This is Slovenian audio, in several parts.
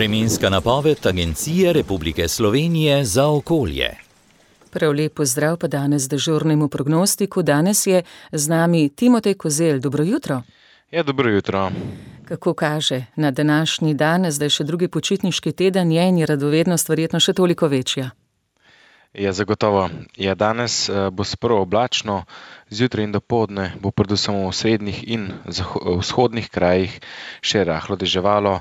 Vremenska napoved Agencije Republike Slovenije za okolje. Prav lep pozdrav pa danes dežurnemu prognostiku. Danes je z nami Timotej Kozelj. Dobro jutro. Ja, dobro jutro. Kako kaže na današnji dan, zdaj še drugi počitniški teden je in je radovednost verjetno še toliko večja. Ja, zagotovo. Ja, danes bo sprva oblačno, zjutraj in dopoldne bo predvsem v srednjih in vzhodnih krajih še rahlo deževalo.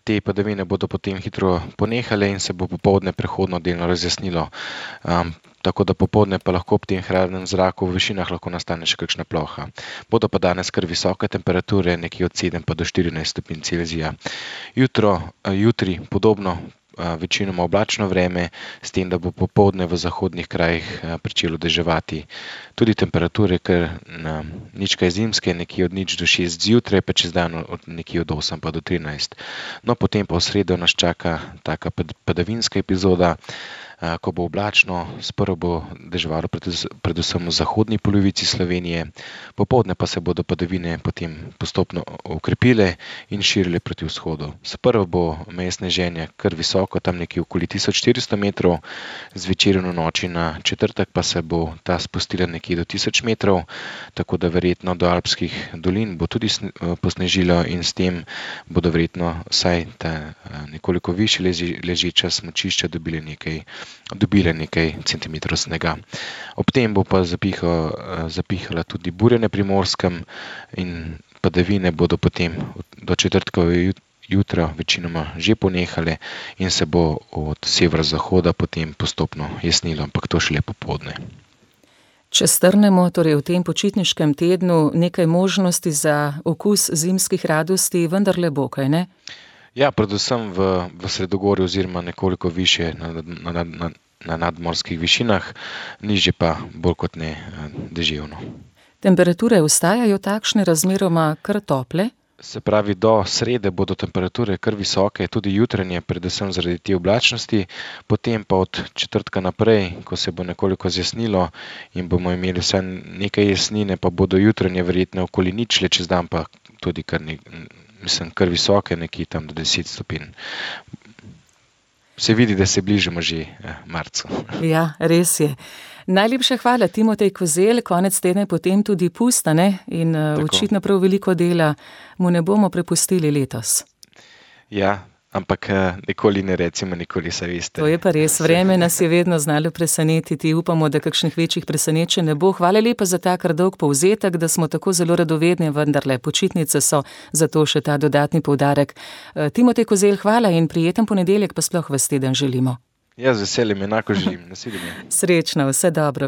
Te padavine bodo potem hitro ponehale in se bo popoldne prehodno delno razjasnilo. Tako da popoldne pa lahko ob tem hladnem zraku v višinah lahko nastane še kakšna ploha. Bodo pa danes kar visoke temperature, nekje od 7 pa do 14 stopinj Celzija. Jutri podobno, večinoma oblačno vreme, s tem, da bo popoldne v zahodnih krajih pričelo deževati. Tudi temperature kar nič kaj zimske, nekje od 0 do 6 zjutraj, pa čez dan nekje od 8 pa do 13. No, potem pa v sredo nas čaka taka padavinska epizoda, ko bo oblačno, sprva bo deževalo predvsem v zahodni polovici Slovenije, popoldne pa se bodo padavine potem postopno okrepile in širile proti vzhodu. Sprva bo meje sneženja kar visoko, tam nekje okoli 1400 metrov, zvečer in v noči na četrtek pa se bo ta spustila nekje do 1000 metrov, tako da verjetno do alpskih dolin bo tudi posnežilo in s tem bodo verjetno vsaj ta nekoliko višje ležeča smučišča dobile nekaj centimetrov snega. Ob tem bo pa zapihala tudi burja na Primorskem in padavine bodo potem do četrtkovega jutra večinoma že ponehale in se bo od severozahoda potem postopno jasnilo, ampak to šele popoldne. Če strnemo, torej v tem počitniškem tednu nekaj možnosti za okus zimskih radosti, vendarle bo, kaj ne? Ja, predvsem v sredogorju oziroma nekoliko više na nadmorskih višinah, nižje pa bolj kot ne deževno. Temperature ostajajo takšne, razmeroma kar tople? Se pravi, do srede bodo temperature kar visoke, tudi jutranje, predvsem zaradi te oblačnosti, potem pa od četrtka naprej, ko se bo nekoliko zjasnilo in bomo imeli vsaj nekaj jasnine, pa bodo jutranje verjetno okoli ničle, čez dan pa tudi kar visoke, nekje tam do 10 stopinj. Se vidi, da se bližamo že marcu. Ja, res je. Najlepša hvala, Timotej Kozelj, konec tedna potem tudi pusta, ne? In očitno prav veliko dela mu ne bomo prepustili letos. Ja, ampak nikoli ne recimo, nikoli se veste. To je pa res, vreme nas je vedno znalo presenetiti, upamo, da kakšnih večjih presenečenj ne bo. Hvala lepa za ta kar dolg povzetek, da smo tako zelo radovedni, vendarle počitnice so, zato še ta dodatni poudarek. Timotej Kozelj, hvala in prijeten ponedeljek pa sploh ves teden želimo. Ja, z veseljem, enako želim. Nasvidenje. Srečno, vse dobro.